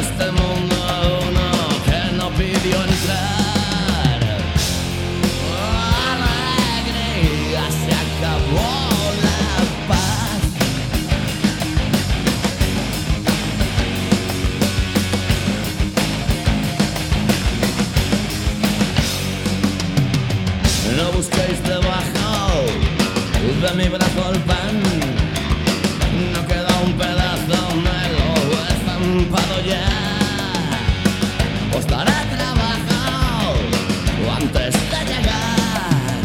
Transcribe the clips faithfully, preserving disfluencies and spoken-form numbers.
este mundo uno que no pidió entrar. Alegría, se acabó la paz. No busquéis debajo de mi brazo el pan. No queda un pedazo, me lo he estampado ya. Os daré trabajo antes de llegar.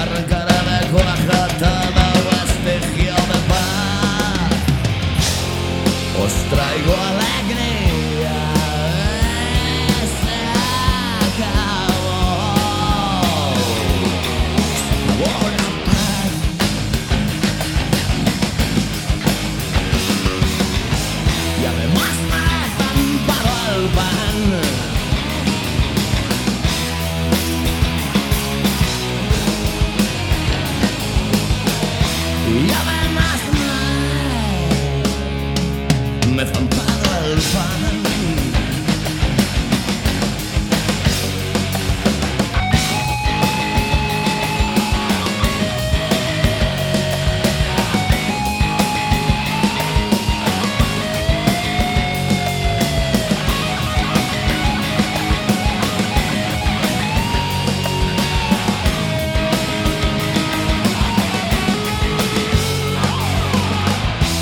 Arrancaré de cuaja todo vestigio de paz. Os traigo alegría. Se acabó. Se acabó la paz. Y además me he estampado el pan. Y además me, me he estampado el pan.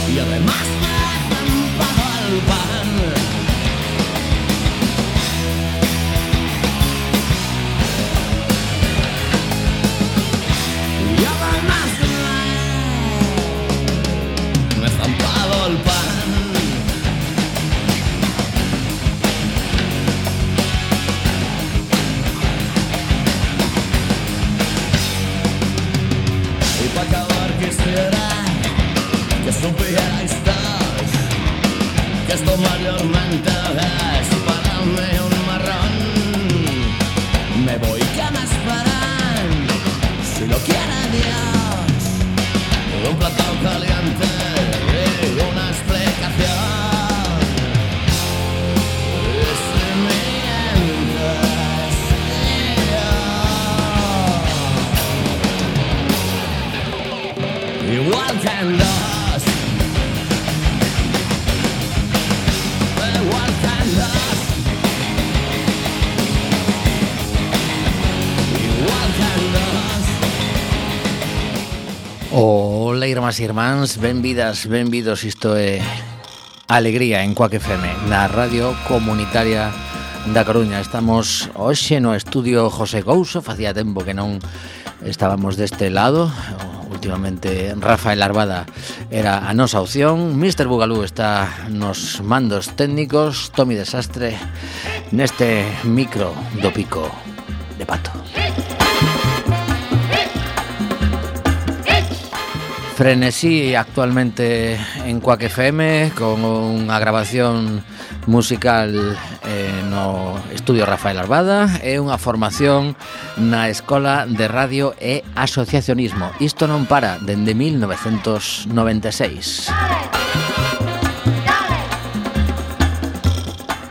Y además me he estampado el pan. Y además me, me he estampado el pan. Y para acabar quisiera que supierais todos que esto mayormente es para mí un marrón. Me voy, que me esperan, si lo quiere Dios, un plato caliente y una explicación. Y si mientes, yo igual que en los igual que en los igual que en los. Ola, irmás e irmáns, benvidas, benvidos. Isto é Alegría en Cuac F M, na radio comunitaria da Coruña. Estamos hoxe no estudio José Couso. Facía tempo que non estábamos deste lado. Últimamente Rafael Arbada era a nosa opción. mister Bugalú está nos mandos técnicos. Tomi Desastre neste micro do pico de pato. Frenesí actualmente en Cuac F M con unha grabación musical eh, no estudio Rafael Arbada e unha formación na Escola de Radio e Asociacionismo. Isto non para dende mil novecentos noventa e seis.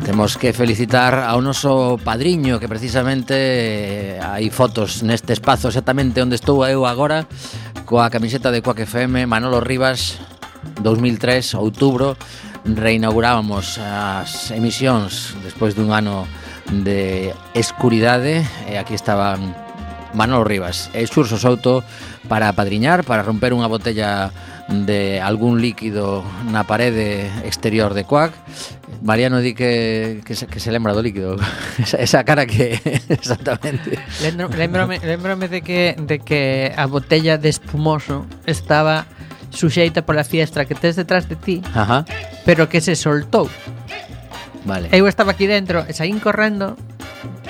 Temos que felicitar ao noso padriño, que precisamente eh, hai fotos neste espazo exactamente onde estou eu agora, coa camiseta de Cuac F M. Manolo Rivas, dos mil tres, outubro, reinaugurábamos as emisións despois dun ano de escuridade e aquí estaban Manolo Rivas e Xurso Souto para apadriñar, para romper unha botella de algún líquido na parede exterior de Cuac. Mariano di que, que, se, que se lembra do líquido. esa, esa cara que exactamente. Lembrome, lembrome de que de que a botella de espumoso estaba suxeita pola fiestra que tes detrás de ti. Ajá. Pero que se soltou. Vale. Eu estaba aquí dentro e saín correndo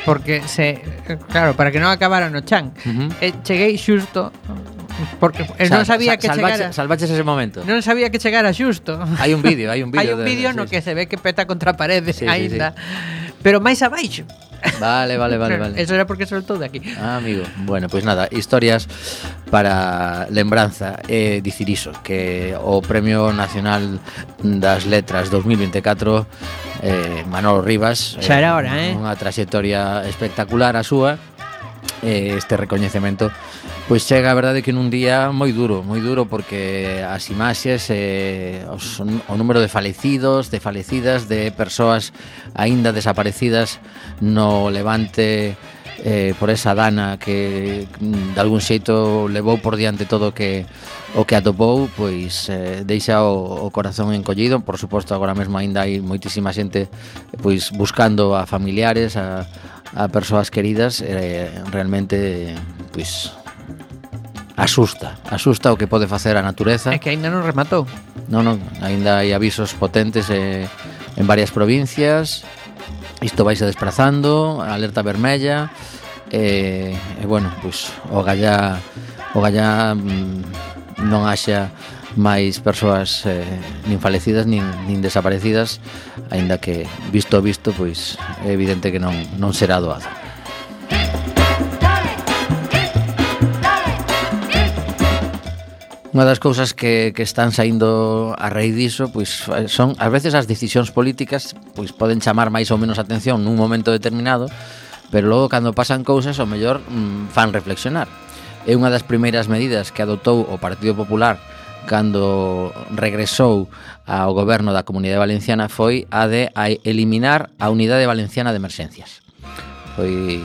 porque se, claro, para que non acabara no chan. Uh-huh. E cheguei xusto porque eh, non sabía que salvache, chegara. Salvaches ese momento. Non sabía que chegara xusto. Hai un vídeo, hai un vídeo. Hai un vídeo no sí, que sí. se ve que peta contra a parede Sí, aínda. sí, sí. Pero máis abaixo. Vale, vale, vale, vale. Eso era porque soltou de aquí. Ah, amigo. Bueno, pois pues nada, historias para lembranza. E eh, dicir iso, que o Premio Nacional das Letras dos mil veinticuatro, eh, Manolo Rivas, xa era hora, eh? Unha traxectoria espectacular a súa. Eh, este recoñecemento pois chega, a verdade, que nun día moi duro, moi duro, porque as imaxes, eh, os, o número de falecidos, de falecidas, de persoas aínda desaparecidas no Levante, eh, por esa dana que de algún xeito levou por diante todo o que o que atopou, pois eh, deixa o, o corazón encollido. Por suposto, agora mesmo aínda hai moitísima xente pois buscando a familiares, a, a persoas queridas. Eh, realmente pois asusta, asusta o que pode facer a natureza. É que aínda non rematou. Non, non, aínda hai avisos potentes eh, en varias provincias. Isto vaise desprazando, alerta vermella. E, eh, eh, bueno, pois o gallá o gallá mm, non haxa máis persoas eh, nin falecidas nin, nin desaparecidas, aínda que visto visto pois é evidente que non, non será doado. Unha das cousas que, que están saindo a raíz diso, pois son ás veces as decisións políticas, pois poden chamar máis ou menos atención nun momento determinado, pero logo cando pasan cousas ao mellor mm, fan reflexionar. É unha das primeiras medidas que adoptou o Partido Popular cando regresou ao goberno da Comunidade Valenciana foi a de a eliminar a Unidade Valenciana de Emerxencias. Foi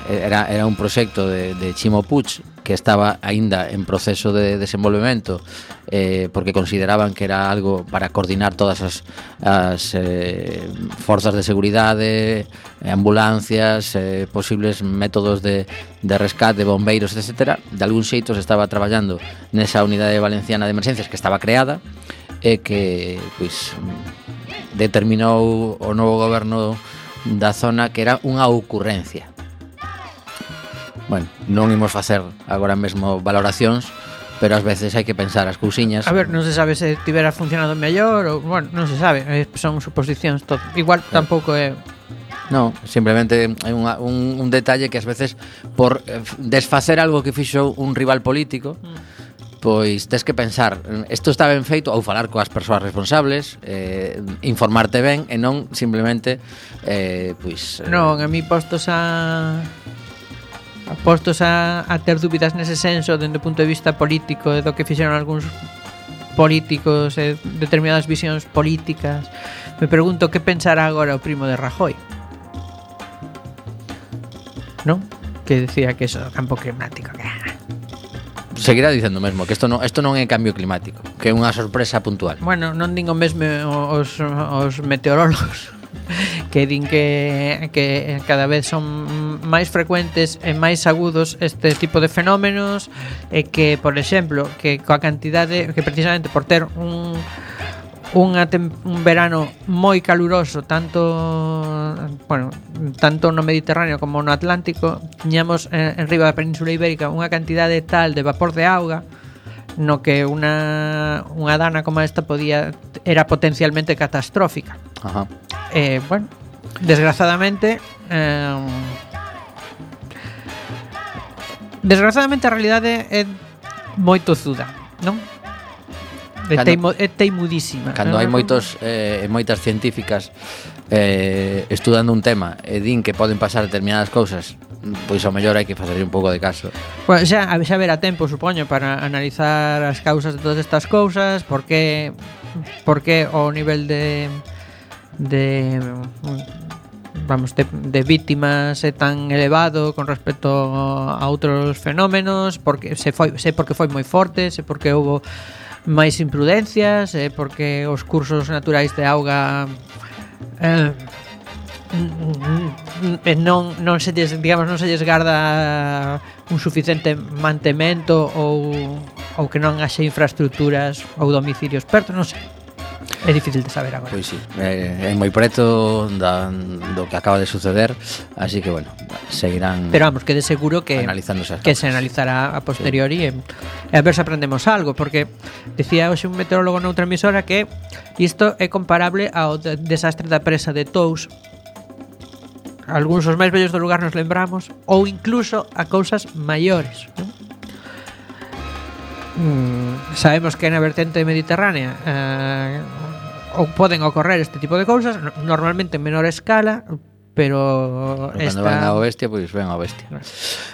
era era un proxecto de de Chimo Puig que estaba aínda en proceso de desenvolvemento, eh, porque consideraban que era algo para coordinar todas as, as eh, forzas de seguridade, ambulancias, eh, posibles métodos de, de rescate, bombeiros, etcétera. De algún xeito se estaba traballando nesa Unidade Valenciana de Emerxencias que estaba creada e que pois determinou o novo goberno da zona que era unha ocurrencia. Bueno, non imos facer agora mesmo valoracións, pero ás veces hai que pensar as cousiñas. A ver, non se sabe se tivera funcionado mellor ou, bueno, non se sabe, son suposicións todo. Igual sí. Tampouco é... Non, simplemente é unha, un, un detalle que ás veces por desfacer algo que fixo un rival político, mm. pois tes que pensar, isto está ben feito, ou falar coas persoas responsables, eh, informarte ben e non simplemente eh, pois... Eh, non, a mí postos a... postos a, a ter dúbidas nese senso dende o punto de vista político e do que fixeron algúns políticos e determinadas visións políticas, me pregunto que pensará agora o primo de Rajoy, non? Que decía que eso do campo climático que... seguirá dicendo mesmo que isto non, isto non é cambio climático, que é unha sorpresa puntual. Bueno, non digo mesmo os, os meteorólogos que din que, que cada vez son máis frecuentes e máis agudos este tipo de fenómenos e que, por exemplo, que coa cantidade que precisamente por ter un unha tem, un verano moi caluroso tanto bueno, tanto no Mediterráneo como no Atlántico, tiñamos en, en riba da Península Ibérica unha cantidade tal de vapor de auga no que unha unha dana como esta podía era potencialmente catastrófica. Ajá. Eh, bueno, desgraciadamente eh, desgraciadamente a realidade é moi tozuda, non? É, teimo, é teimudísima. Cando hai moitos eh, moitas científicas eh, estudando un tema e din que poden pasar determinadas cousas, pois ao mellor hai que facer un pouco de caso. Bueno, xa, xa verá tempo, supoño, para analizar as causas de todas estas cousas, por que por que o nivel de de vamos, de, de víctimas é tan elevado con respecto a outros fenómenos, porque se foi, se porque foi moi forte, se porque houve máis imprudencias, se porque os cursos naturais de auga eh, non, non se lles, digamos, non se lles garda un suficiente mantemento ou, ou que non haxe infraestructuras ou domicilios perto, non sei. É difícil de saber agora. Pois sí, é, é moi preto da, do que acaba de suceder, así que bueno, seguirán. Pero vamos, que de seguro que que se analizará a posteriori, sí. e, e a ver se aprendemos algo, porque decía hoxe un meteorólogo noutra emisora que isto é comparable ao de, desastre da presa de Tous algúns os máis bellos do lugar nos lembramos, ou incluso a cousas maiores, non? Mm, sabemos que na vertente mediterránea eh, ou poden ocorrer este tipo de cousas, normalmente en menor escala, pero Cando esta... ven ao bestia, pois ven ao bestia.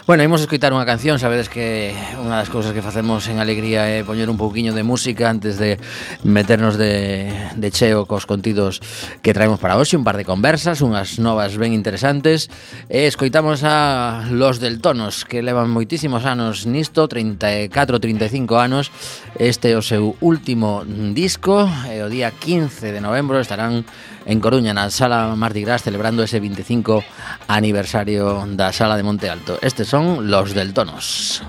Bueno, imos escoitar unha canción. Sabedes que unha das cousas que facemos en Alegría é poñer un pouquiño de música antes de meternos de, de cheo cos contidos que traemos para hoxe. Un par de conversas, unhas novas ben interesantes. E escoitamos a Los Deltonos, que levan moitísimos anos nisto, treinta e catro, treinta e cinco anos. Este é o seu último disco, e o día quince de novembro estarán en Coruña, na Sala Mardi Gras, celebrando ese veinticinco aniversario da Sala de Monte Alto. Estes son Los Deltonos.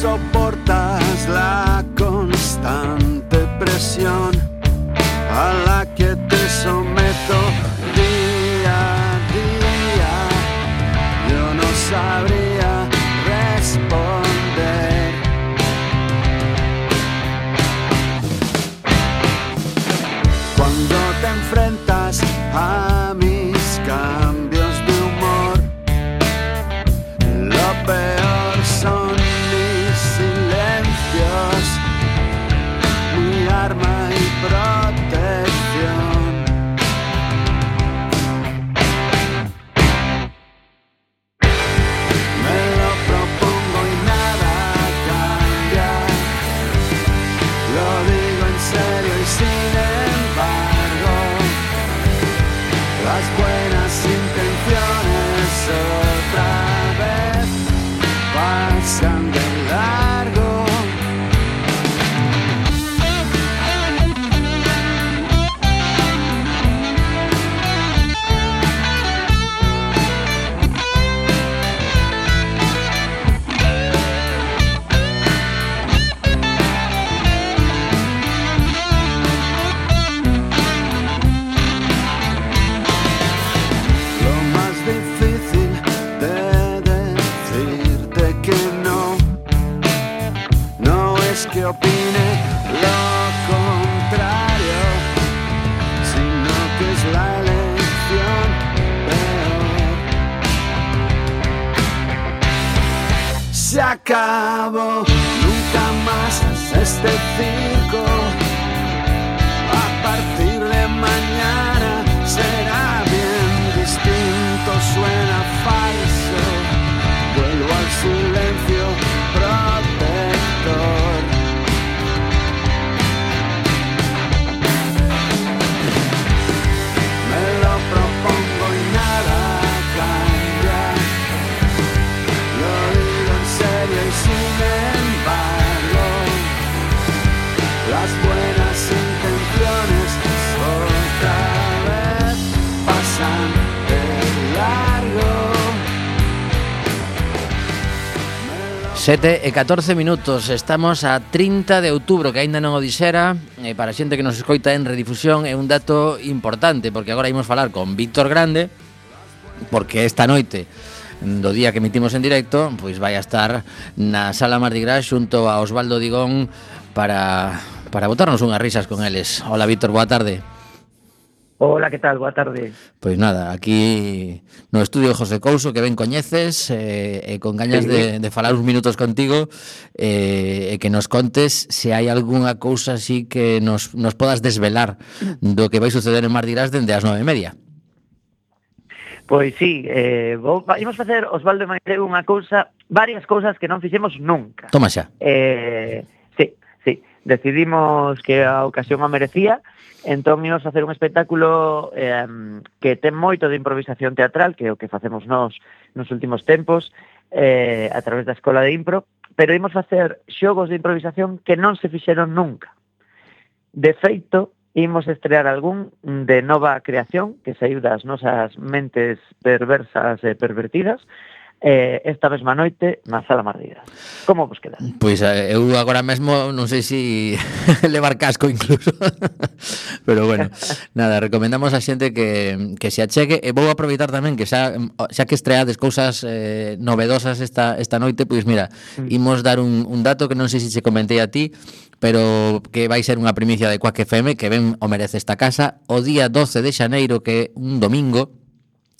Soportas la constante presión a la que te someto día a día. Yo no sabría responder. Cuando te enfrentas a mis cambios de humor, lo peor son mi arma y protección. Me lo propongo y nada cambia. Lo digo en serio y sin embargo, las buenas intenciones otra vez pasan de largo. Que opine lo contrario, sino que es la elección peor. Se acabó, nunca más este circo. A partir de mañana será bien distinto, suena falso. Vuelvo al silencio protector. Sin embargo, las buenas intenciones otra vez pasan de largo. sete e catorce minutos, estamos a trinta de outubro, que aínda non o dixera, e para a xente que nos escoita en redifusión é un dato importante, porque agora imos falar con Víctor Grande, porque esta noite do día que emitimos en directo, pois vai a estar na Sala Mardi Gras xunto a Osvaldo Digón para, para botarnos unhas risas con eles. Hola, Víctor, boa tarde. Hola, que tal? Boa tarde. Pois nada, aquí no estudio José Couso, que ben coñeces, e eh, eh, con gañas sí. de, de falar uns minutos contigo, e eh, que nos contes se hai algunha cousa así que nos, nos podas desvelar do que vai suceder en Mardi Gras dende as nove e media. Pois sí, eh, vou, imos facer, Osvaldo e Maite, unha cousa, varias cousas que non fixemos nunca. Toma xa. Eh, sí, sí, decidimos que a ocasión o merecía, entón imos facer un espectáculo eh, que ten moito de improvisación teatral, que é o que facemos nós nos últimos tempos, eh, a través da Escola de Impro, pero imos facer xogos de improvisación que non se fixeron nunca. De feito, imos estrear algún de nova creación que saiu das nosas mentes perversas e pervertidas, eh, esta mesma noite na Sala Mardidas. Como vos queda? Pois eh, eu agora mesmo non sei se si levar casco incluso. Pero bueno, nada, recomendamos a xente que, que se achegue. E vou aproveitar tamén que xa, xa que estreades cousas eh, novedosas esta, esta noite, pois mira, imos dar un, un dato que non sei se se comentei a ti, pero que vai ser unha primicia de Quack F M, que ben o merece esta casa. O día doce de xaneiro, que é un domingo,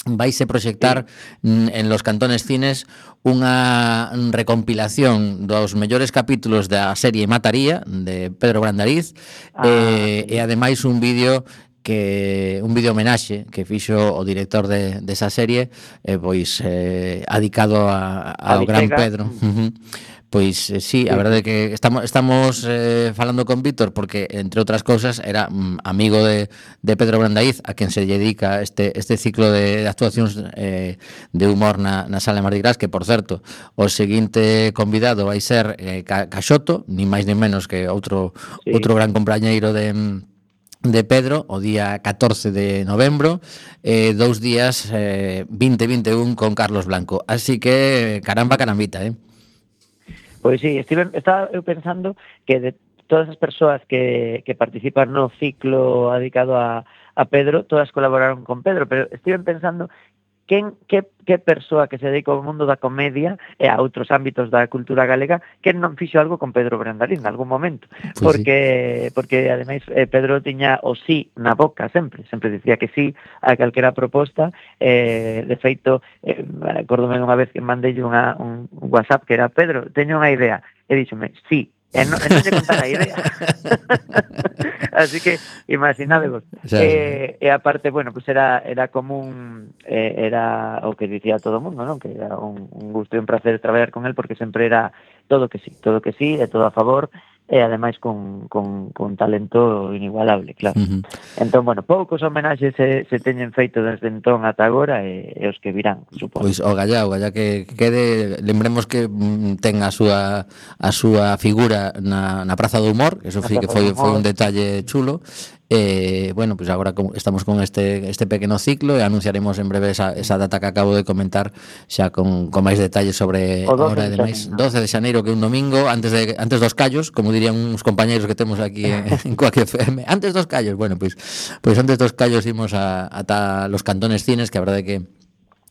vaise proxectar sí. en los Cantones Cines unha recompilación dos mellores capítulos da serie Mataría de Pedro Brandariz ah, eh, sí. e ademais un vídeo que un vídeo homenaxe que fixo o director de, de esa serie eh, pois eh, adicado a, ao gran Pedro. Uh-huh. Pois eh, sí, a verdade é que estamos estamos eh, falando con Víctor porque, entre outras cousas, era mm, amigo de, de Pedro Brandaiz, a quen se dedica este este ciclo de, de actuacións eh, de humor na, na Sala de Mardi Gras, que, por certo, o seguinte convidado vai ser eh, Caxoto, ni máis ni menos que outro sí. outro gran compañeiro de de Pedro, o día catorce de novembro, eh, dous días eh, vinte e vinte e un con Carlos Blanco. Así que, caramba, carambita, eh? Pois sí, estive, estaba eu pensando que de todas as persoas que, que participan no ciclo dedicado a, a Pedro, todas colaboraron con Pedro, pero estive pensando quen, que, que persoa que se dedica ao mundo da comedia e a outros ámbitos da cultura galega que non fixo algo con Pedro Brandariz en algún momento, pues porque sí. porque ademais eh, Pedro tiña o sí na boca sempre, sempre dicía que sí a calquera proposta, eh, de feito eh, acordome unha vez que mandei unha, un WhatsApp que era Pedro, teño unha idea, e díxome, sí, e non, e non lle contar a idea. Así que imaginadevos. O sea, eh, e aparte, bueno, pues era era común, eh, era o que dicía todo o mundo, non? Que era un, un gusto e un placer traballar con él porque sempre era todo que sí, todo que sí, e todo a favor, e ademais con, con, con talento inigualable, claro. Uh-huh. Entón, bueno, poucos homenaxes se, se teñen feito desde entón ata agora e, e os que virán, supoño. Pois o gallá, o gallá que quede, lembremos que ten a súa a súa figura na, na Praza do Humor, eso sí que foi, foi un detalle chulo. Eh, bueno, pues agora estamos con este este pequeno ciclo e anunciaremos en breve esa, esa data que acabo de comentar xa con, con máis detalles sobre a hora de máis doce de xaneiro, que é un domingo antes de antes dos callos, como dirían uns compañeiros que temos aquí en, en Quack F M, antes dos callos. Bueno, pois pues, pues antes dos callos imos a ata los Cantones Cines, que a verdade é que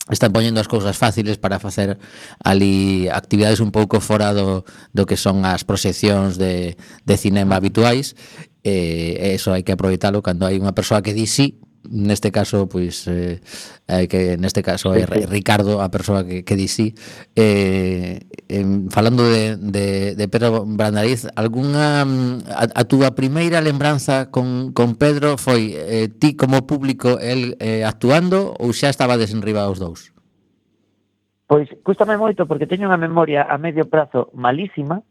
están poñendo as cousas fáciles para facer ali actividades un pouco fora do, do que son as proxeccións de, de cinema habituais. Eh, eso hai que aproveitalo cando hai unha persoa que di sí. Neste caso, pois eh, hai que neste caso é Ricardo a persoa que, que di sí. Eh, eh, falando de, de, de Pedro Brandariz, algunha a, a túa primeira lembranza con, con Pedro foi eh, ti como público el eh, actuando ou xa estaba desenriba os dous? Pois cústame moito porque teño unha memoria a medio prazo malísima.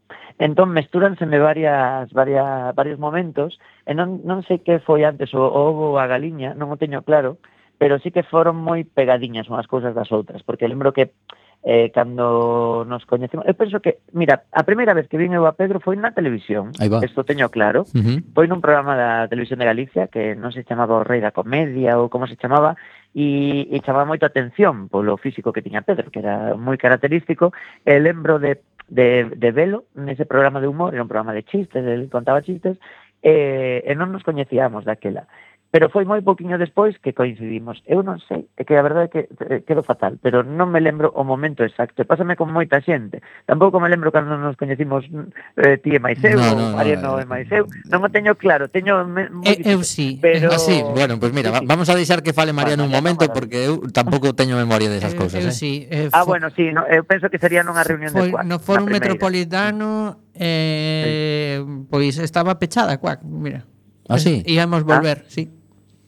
Entón mestúranseme varias, varias, varios momentos e non, non sei que foi antes o ovo ou a galiña, non o teño claro, pero sí que foron moi pegadiñas unhas cousas das outras, porque lembro que eh, cando nos coñecemos, eu penso que, mira, a primeira vez que vin eu a Pedro foi na televisión, isto teño claro, uh-huh. Foi nun programa da Televisión de Galicia que non se chamaba O Rei da Comedia ou como se chamaba, e, e chamaba moito a atención polo físico que tiña Pedro, que era moi característico, e lembro de de, de velo nese programa de humor, era un programa de chistes, ele contaba chistes, e, e non nos coñecíamos daquela. Pero foi moi pouquiño despois que coincidimos. Eu non sei, é que a verdade é que eh, quedo fatal, pero non me lembro o momento exacto. Pásame con moita xente. Tampouco me lembro cando nos coñecimos eh, ti e máis eu, no, no, ou Mariano no, e máis eu. Non o teño claro, teño... Me, eh, eu sí. Pero... Ah, sí, bueno, pues mira, sí, sí. Vamos a deixar que fale Mariano bueno, un momento, porque eu tampouco teño memoria desas cousas. Eu eh. sí. Eh, ah, bueno, sí, no, eu penso que sería nunha reunión foi, de Quack. No Fórum Metropolitano, eh, sí. Pois estaba pechada Quack, mira. Ah, sí? Íamos volver, ah. sí.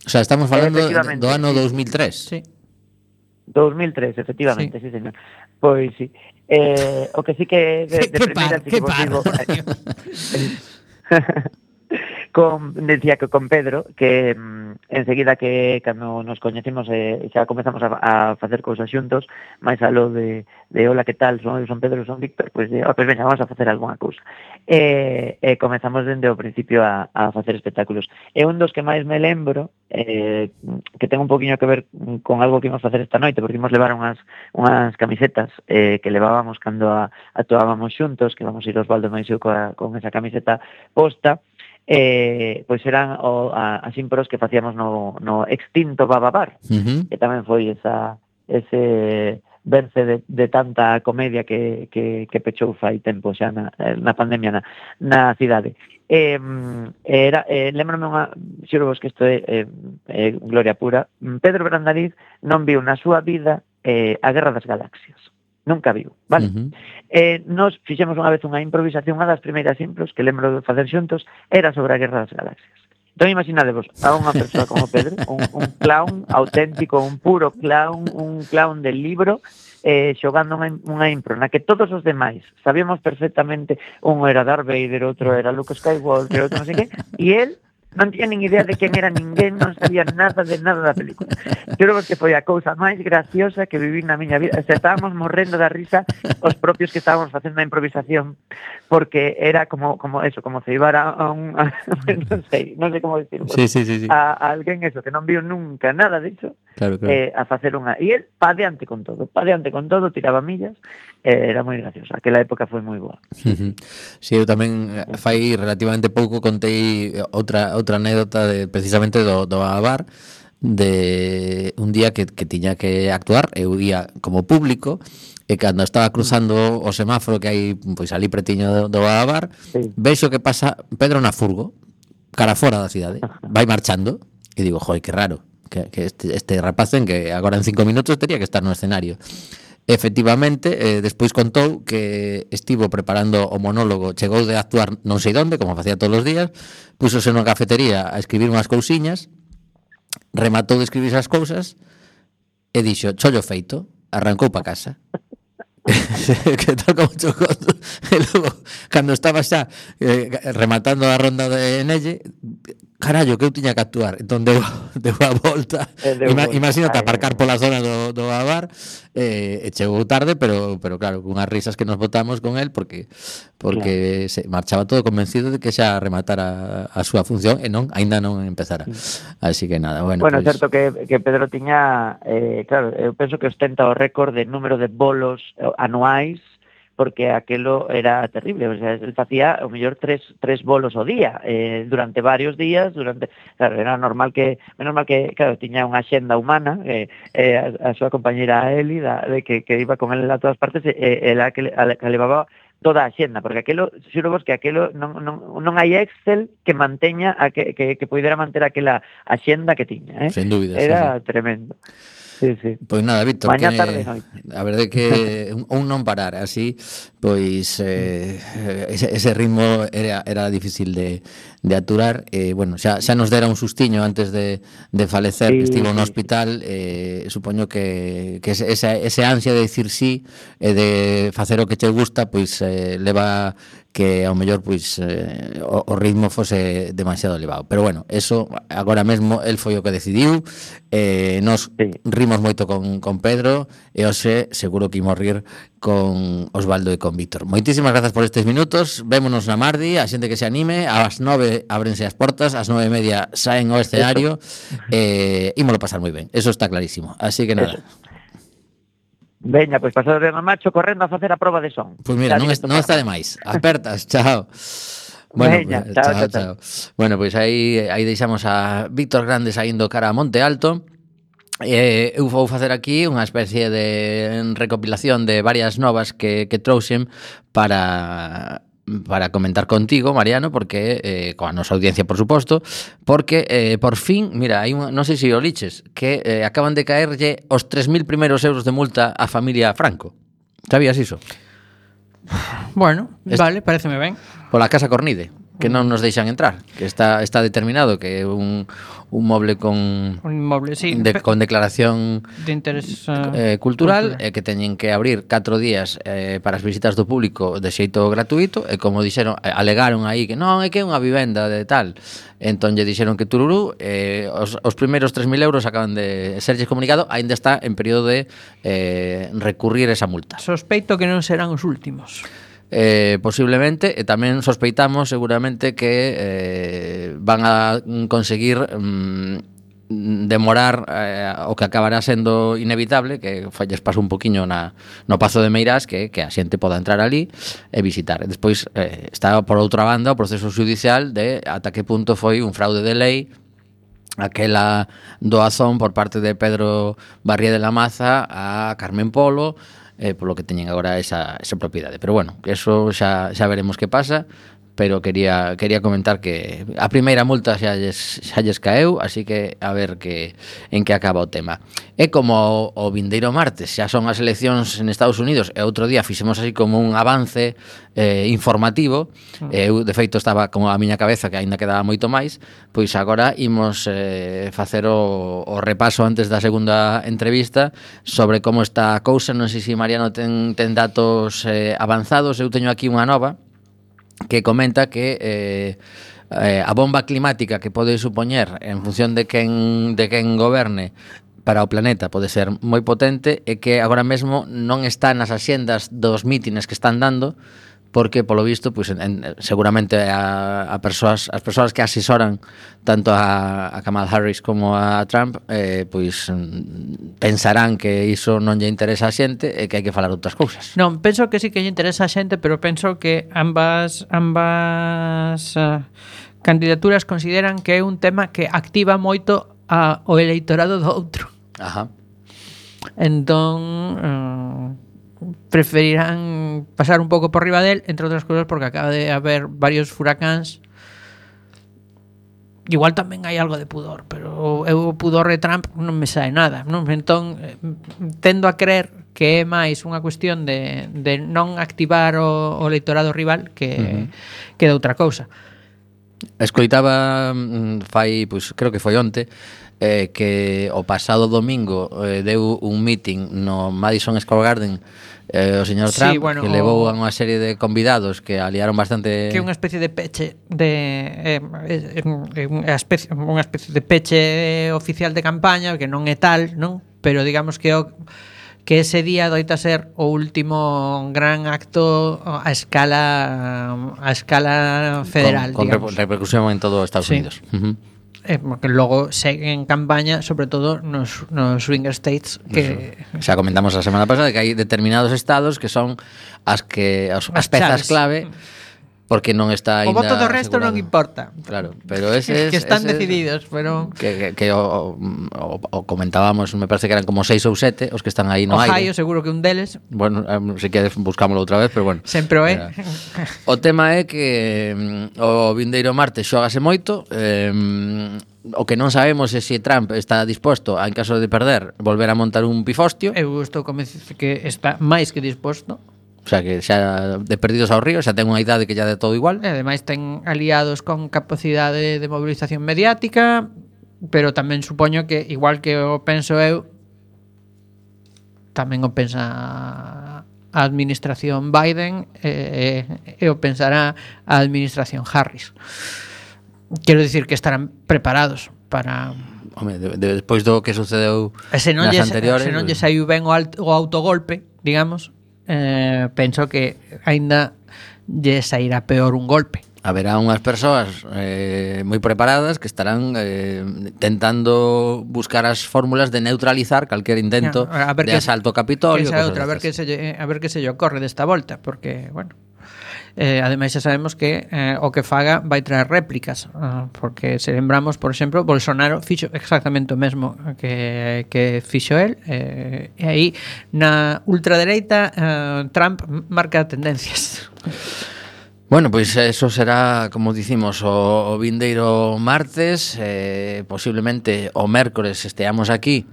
O sea, estamos falando do ano sí. dos mil tres. Sí. dos mil tres, efectivamente, sí, sí señor. Pois sí. Eh, o que sí que de, de primeira sí que vos digo, con decía que con Pedro que enseguida que cando nos coñecimos eh, xa comezamos a, a facer cousas xuntos, máis aló de, de hola, que tal, son, son Pedro, son Víctor, pois pues, oh, pues veña, vamos a facer algunha cousa. E eh, eh, comezamos dende o principio a, a facer espectáculos. E un dos que máis me lembro, eh, que ten un poquinho que ver con algo que íbamos facer esta noite, porque íbamos levar unhas, unhas camisetas eh, que levábamos cando a, actuábamos xuntos, que vamos a ir Osvaldo máis eu coa, con esa camiseta posta, eh, pois eran o, a, as impros que facíamos no, no extinto Bababar, Uh-huh. que tamén foi esa ese verse de, de tanta comedia que, que, que pechou fai tempo xa na, na pandemia na, na cidade. Eh, era, eh, lembrame unha, xuro vos que isto é eh, eh, gloria pura, Pedro Brandariz non viu na súa vida eh, a Guerra das Galaxias. Nunca viu, vale? Uh-huh. Eh, nos fixemos unha vez unha improvisación, unha das primeiras impros que lembro de facer xuntos era sobre a Guerra das Galaxias. Entón imaginadevos a unha persoa como Pedro, un, un clown auténtico, un puro clown, un clown del libro, eh, xogando unha, unha impro na que todos os demais sabíamos perfectamente, un era Darth Vader, outro era Luke Skywalker, outro non sei que, e él non tiña nin idea de quen era ninguén, non sabía nada de nada da película. Creo que foi a cousa máis graciosa que viví na miña vida. O sea, estábamos morrendo da risa os propios que estábamos facendo a improvisación, porque era como como eso, como ceibar a, a un a, non sei, non sei como dicirlo. Sí, sí, sí, sí. A, a alguén eso que non viu nunca nada de iso. Claro, claro. Eh, a facer unha, e el pa diante con todo, pa diante con todo, tiraba millas, eh, era moi graciosa. Aquela época foi moi boa. Uh-huh. Sí, eu tamén eh, fai relativamente pouco contei outra outra anécdota de precisamente do, do Bababar, de un día que, que tiña que actuar, eu ia como público, e cando estaba cruzando o semáforo que hai pois ali pretiño do, do Bababar, Sí. vexo que pasa Pedro na furgo, cara fora da cidade, vai marchando, e digo, joi, que raro, que, que este, este rapaz en que agora en cinco minutos tería que estar no escenario. Efectivamente, eh, despois contou que estivo preparando o monólogo, chegou de actuar non sei onde, como facía todos os días, púsose nunha cafetería a escribir unhas cousiñas, rematou de escribir esas cousas e dixo, chollo feito, arrancou pa casa. Que tal como chocou. E logo, cando estaba xa eh, rematando a ronda de Nelle, carallo, que eu tiña que actuar. Entón deu, deu a volta. Ima, imagínate aparcar pola zona do, do Babar, eh, e chegou tarde, pero pero claro, cunhas risas que nos botamos con el, porque porque claro, se marchaba todo convencido de que xa rematara a, a súa función e non, aínda non empezara. Así que nada, bueno. Bueno, é pues... certo que, que Pedro tiña, eh, claro, eu penso que ostenta o récord de número de bolos anuais, porque aquelo era terrible, o sea, él facía o mellor tres, tres bolos ao día, eh, durante varios días, durante, claro, era normal que, menos mal que, claro, tiña unha xenda humana, eh, eh, a, a súa compañera Eli, da, de que, que iba con él a todas partes, eh, ela que, a, que levaba toda a xenda, porque aquelo, xuro vos que aquelo non, non, non hai Excel que manteña, a que, que, que poidera manter aquela a xenda que tiña, eh? Sen dúbida, era sí, sí. Tremendo. Sí, sí. Pois nada, Víctor, Mañá que, tarde, noite. a verdade que un, un non parar así, pois eh, ese, ese ritmo era, era difícil de, de aturar, e eh, bueno, xa, xa nos dera un sustiño antes de, de falecer, sí, que estivo no hospital, eh, supoño que, que ese, ese ansia de dicir sí e de facer o que che gusta, pois eh, leva que ao mellor pois eh, o, o ritmo fose demasiado elevado, pero bueno, eso agora mesmo el foi o que decidiu, eh, nos sí. rimos moito con, con Pedro e hoxe seguro que imos rir con Osvaldo e con Víctor. Moitísimas grazas por estes minutos, vémonos na Mardi, a xente que se anime, ás nove ábrense as portas, ás nove e media saen ao escenario, e eh, ímolo pasar moi ben, eso está clarísimo, así que nada. Eso. Veña, pois pasado de macho correndo a facer a proba de son. Pois mira, non, es, non está de máis. Apertas, chao. Bueno, Veña, pues, chao, chao, chao, chao. Bueno, pois pues aí aí deixamos a Víctor Grande saindo cara a Monte Alto. Eh, eu vou facer aquí unha especie de recopilación de varias novas que, que trouxen para para comentar contigo, Mariano, porque eh, coa nosa audiencia, por suposto, porque eh, por fin, mira, hai un, non sei se o liches, que eh, acaban de caerlle os tres mil primeiros euros de multa á familia Franco. Sabías iso? Bueno, Est- vale, pareceme ben. Pola Casa Cornide. que non nos deixan entrar, que está está determinado que é un un moble con Un inmoble, sí. de, con declaración de interés uh, eh, cultural, cultural. e que teñen que abrir catro días eh, para as visitas do público de xeito gratuito, e como dixeron, eh, alegaron aí que non, é que é unha vivenda de tal. Entón lle dixeron que tururú, eh, os, os primeiros tres mil euros acaban de serlles comunicado, aínda está en período de eh, recurrir esa multa. Sospeito que non serán os últimos. Eh, posiblemente, e tamén sospeitamos seguramente que eh, van a conseguir mm, demorar eh, o que acabará sendo inevitable, que falles paso un poquiño na, no Pazo de Meirás, que, que a xente poda entrar ali e visitar. E despois eh, está por outra banda o proceso judicial de ata que punto foi un fraude de lei aquela doazón por parte de Pedro Barrié de la Maza a Carmen Polo, eh, polo que teñen agora esa, esa propiedade. Pero bueno, eso xa, xa veremos que pasa, pero quería quería comentar que a primeira multa xa lles, xa lles caeu, así que a ver que en que acaba o tema. É como o, o vindeiro martes, xa son as eleccións en Estados Unidos, e outro día fixemos así como un avance eh, informativo, e eu de feito estaba como a miña cabeza que aínda quedaba moito máis, pois agora imos eh, facer o, o repaso antes da segunda entrevista sobre como está a cousa. Non sei se Mariano ten, ten datos eh, avanzados, eu teño aquí unha nova que comenta que eh, eh, a bomba climática que pode supoñer en función de quen, de quen goberne para o planeta pode ser moi potente, e que agora mesmo non está nas axendas dos mítines que están dando, porque polo visto pois, en, seguramente a, a persoas, as persoas que asesoran tanto a, a Kamala Harris como a Trump eh, pois pensarán que iso non lle interesa a xente e que hai que falar outras cousas. Non, penso que sí que lle interesa a xente, pero penso que ambas ambas uh, candidaturas consideran que é un tema que activa moito a, o eleitorado do outro. Ajá. Entón uh, preferirán pasar un pouco por riba del, entre outras cousas porque acaba de haber varios furacáns. Igual tamén hai algo de pudor, pero eu o pudor de Trump non me sae nada, non? Entón eh, tendo a creer que é máis unha cuestión de, de non activar o, o electorado rival que, uh-huh. que de outra cousa. Escoitaba fai, pois creo que foi onte, eh, que o pasado domingo eh, deu un meeting no Madison Square Garden eh, o señor Trump, sí, bueno, que levou a unha serie de convidados que aliaron bastante, que é unha especie de peche de eh, eh, eh, unha especie unha especie de peche oficial de campaña, que non é tal, non? Pero digamos que o que ese día doita ser o último gran acto a escala a escala federal, con, con digamos. repercusión en todo Estados Sí. Unidos. Uh-huh. Eh, porque logo segue en campaña, sobre todo nos, nos swinger states que xa comentamos a semana pasada que hai determinados estados que son as que as, as pezas chaves. clave, porque non está o ainda voto do resto asegurado. non importa. Claro, pero ese que están ese, decididos, pero que, que, que o, o, o comentábamos, me parece que eran como seis ou sete os que están aí no Ohio aire. seguro que un deles. Bueno, um, se queres buscámoslo outra vez, pero bueno. Sempre o é. Era. O tema é que um, o vindeiro martes xógase moito. Um, o que non sabemos é se Trump está disposto a, en caso de perder, volver a montar un pifostio. Eu estou convencido que está máis que disposto. O sea, que xa de perdidos ao río, xa ten unha idade que ya de todo igual. E ademais ten aliados con capacidade de movilización mediática, pero tamén supoño que, igual que o penso eu, tamén o pensa a administración Biden e, e o pensará a administración Harris. Quero dicir que estarán preparados para... Home, de, de, despois do que sucedeu E se non nas lle, anteriores, se non lle saiu ben o, alt, o autogolpe, digamos, eh, penso que aínda lle sairá peor un golpe. haberá unhas persoas eh, moi preparadas que estarán eh, tentando buscar as fórmulas de neutralizar calquer intento a ver de que, asalto ao Capitolio. que outra, a ver que se lle, a ver que se lle ocorre desta volta, porque, bueno, eh, ademais xa sabemos que eh, o que faga vai traer réplicas, uh, porque se lembramos, por exemplo, Bolsonaro fixo exactamente o mesmo que, que fixo el, eh, e aí na ultradereita uh, Trump marca tendencias. Bueno, pois eso será, como dicimos, o, o vindeiro martes, eh, posiblemente o mércores esteamos aquí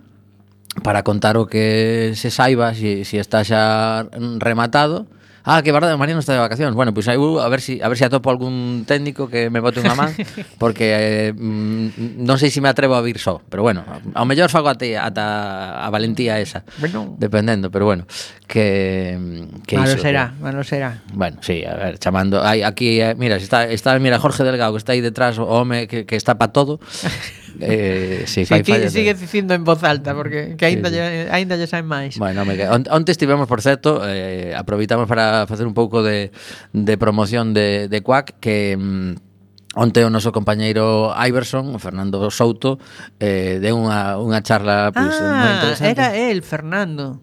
para contar o que se saiba, si, si está xa rematado, Ah, que verdade, María non está de vacacións. Bueno, pois pues, a ver si a ver si atopo algún técnico que me bote unha man, porque eh, mm, non sei se me atrevo a vir só, pero bueno, ao mellor fago ate ata a valentía esa. Bueno, Dependendo, pero bueno, que que malo iso, será, que, malo será. Bueno, sí, a ver, chamando hai aquí, eh, mira, está está mira Jorge Delgado que está aí detrás, o home que, que está pa todo. Eh, sí, Sí, fai que fallas. sigue dicindo en voz alta porque que aínda Sí, sí. lle aínda lle saen máis. Bueno, me on, onte estivemos, por certo, eh, aproveitamos para facer un pouco de, de promoción de, de Quack, que mm, onte o noso compañeiro Iverson, Fernando Souto, eh, deu unha, unha charla pois, moi Ah, interesante. era el, Fernando.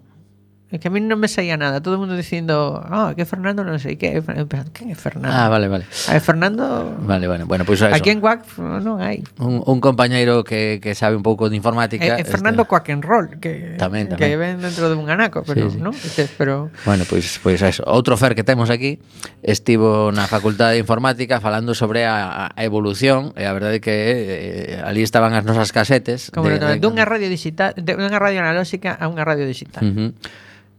É que a mí non me saía nada. Todo o mundo dicindo, ah, que Fernando non sei que. Quen é Fernando? Ah, vale, vale. A ver, Fernando... Vale, vale. Bueno, pois pues eso. Aquí en Quack non hai. Un, un compañeiro que, que sabe un pouco de informática. É, é Fernando este... Quack and Roll, que, Tamén, que tamén. ven dentro de un anaco, pero, Sí, sí. non? Este, pero... Bueno, pois pois eso. Outro Fer que temos aquí estivo na Facultade de Informática falando sobre a, a evolución, e a verdade é que eh, ali estaban as nosas casetes Como de, de, de, dunha radio digital, de unha radio analóxica a unha radio digital. Uh -huh.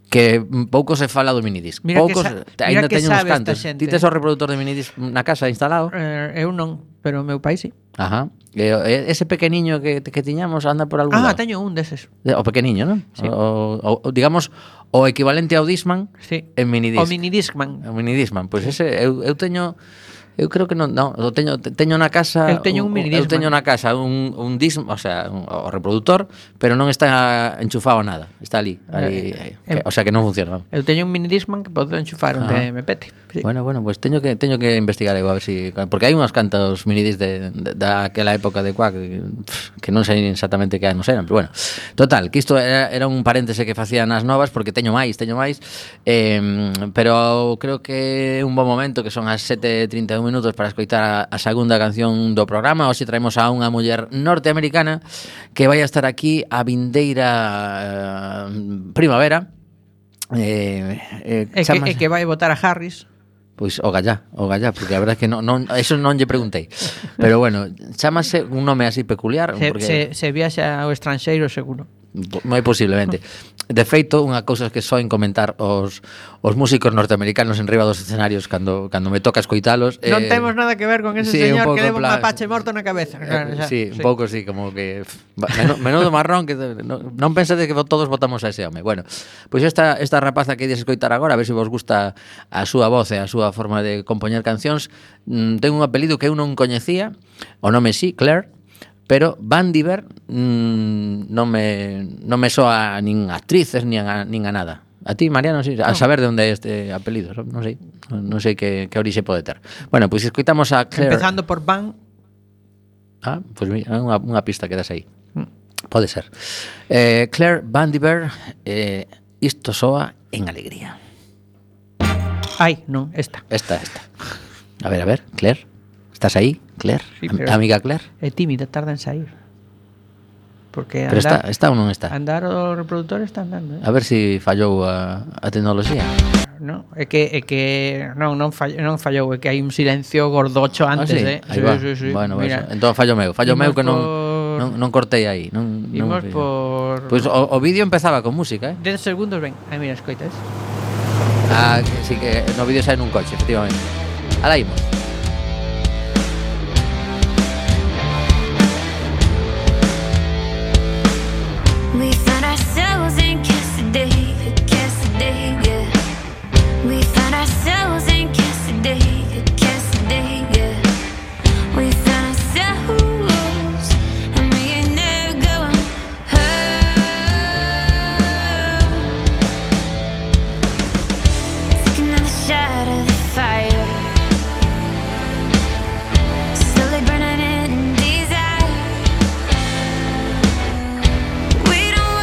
Que pouco se fala do minidisc. Mira Poucos, que sa- ainda mira que teño uns sabe esta cantos. xente. Ti tes o reproductor de minidisc na casa instalado? Eh, eu non, pero o meu pai sí. Ajá. E, e, ese pequeniño que, que tiñamos anda por algún Ah, lado. teño un deses. O pequeniño, non? Sí. O, o, digamos, o equivalente ao Discman Sí. en minidisc. O minidiscman. O minidiscman. Pois ese, eu, eu teño... Eu creo que non, non, o teño teño na casa. Eu teño un minidiscman. Eu teño na casa un un disc, o sea, un, o reproductor, pero non está enchufado a nada. Está ali, ali, Eh, que, eh, o sea que non funciona. Eu teño un minidiscman que podo enchufar onde Ah. me pete. Sí. Bueno, bueno, pues teño que teño que investigar eu a ver si porque hai unhas cantos minidisc de, de daquela época de Quack que, que non sei exactamente que anos eran, pero bueno. Total, que isto era, era un paréntese que facían as novas porque teño máis, teño máis. Eh, pero creo que é un bo momento que son as sete e trinta e un minutos para escoitar a, a segunda canción do programa. Hoxe traemos a unha muller norteamericana que vai a estar aquí a vindeira eh, primavera. Eh, eh, E que, chamase- e que vai votar a Harris. Pois o gallá, o gallá, porque a verdade é que non, non, eso non lle preguntei. Pero bueno, chámase un nome así peculiar, Se, porque se, se viaxa ao estranxeiro seguro. moi posiblemente. De feito, unha cousa que soen comentar os, os músicos norteamericanos en riba dos escenarios cando, cando me toca escoitalos. Non temos nada que ver con ese sí, un señor pouco que leva un en plan- mapache morto na cabeza. Claro, Eh, xa, sí, un pouco sí, como que pff, menudo, menudo marrón que non, non pensade que todos votamos a ese home. Bueno, pois esta esta rapaza que ides escoitar agora, a ver se vos gusta a súa voz e a súa forma de compoñer cancións. Mm, ten un apelido que eu non coñecía, o nome sí, Claire. Pero Van Diver mmm, non me non me soa nin a actrices nin a, nin a nada. A ti, Mariano, sí, a saber de onde é este apelido, non sei, non sei que, que orixe pode ter. Bueno, pois pues, escoitamos a Claire. Empezando por Van. Ah, pois pues, mira, unha, unha pista que das aí. Pode ser. Eh, Claire Van Diver, eh, isto soa en alegría. Ai, non, esta. Esta, esta. A ver, a ver, Claire. Estás aí, Claire? Sí, Am- pero- Amiga Claire. É tímida, tarda en sair. Porque Pero está, andar, está ou non está? andar o reproductor está andando, eh? A ver se si fallou a, a tecnoloxía. No, é que é que non non fallou, non fallou, é que hai un silencio gordocho Ah, antes, sí? eh. Aí va. Bueno, Mira, eso. Entón fallo meu, fallo imos meu que non, por- non, non cortei aí. Non, Imos non, por Pois o, o vídeo empezaba con música, eh? dez segundos, ven. Ai, mira, escoitas. Ah, que, sí que no vídeo sai nun coche, efectivamente. Alá imos. We found ourselves in Cassidy, Cassidy, yeah. We found ourselves in Cassidy, Cassidy, yeah. We found ourselves, and we ain't never going home. Take another shot of the fire, slowly burning in desire. We don't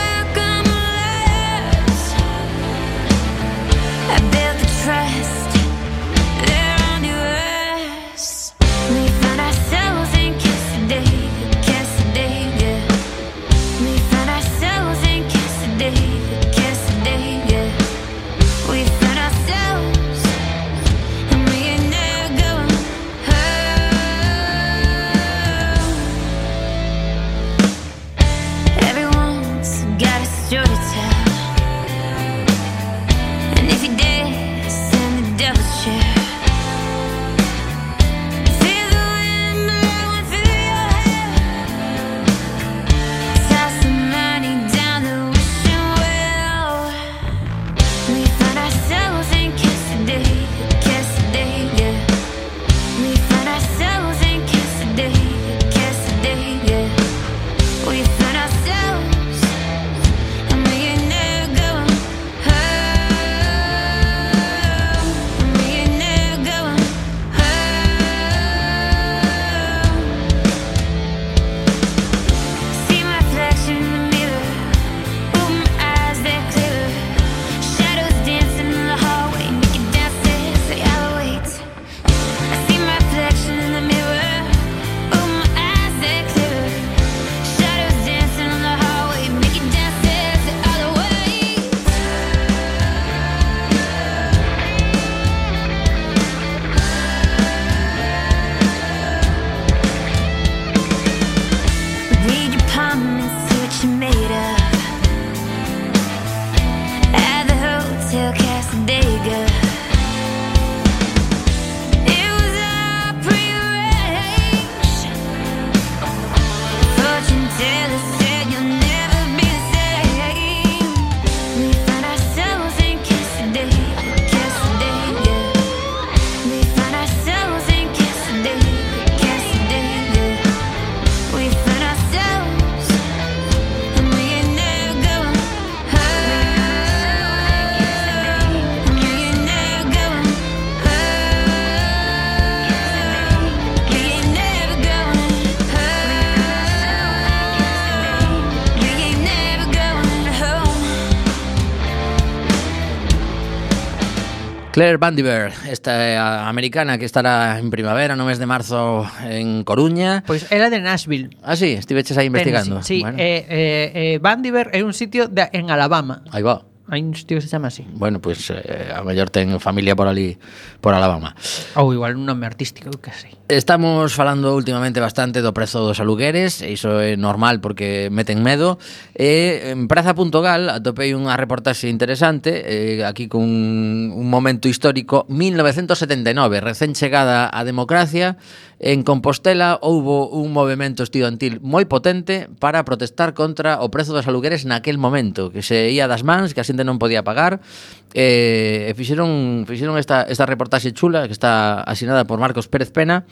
Claire Vandiver, esta americana que estará en primavera no mes de marzo en Coruña. Pois era de Nashville. Ah, sí, estiveches aí investigando. Tennessee, sí, Bueno. eh, eh, eh, Vandiver é un sitio de, en Alabama. Aí va. Hai un sitio que se chama así. Bueno, pois pues, eh, a mellor ten familia por ali, por Alabama. Ou igual un nome artístico, eu que sei. Estamos falando últimamente bastante do prezo dos alugueres, e iso é normal porque meten medo. E en praza punto gal atopei unha reportaxe interesante, eh, aquí con un momento histórico, mil novecentos setenta e nove, recén chegada a democracia. En Compostela houbo un movemento estudantil moi potente para protestar contra o prezo dos alugueres naquel momento, que se ía das mans, que a xente non podía pagar, e, e fixeron, fixeron esta, esta reportaxe chula que está asinada por Marcos Pérez Pena,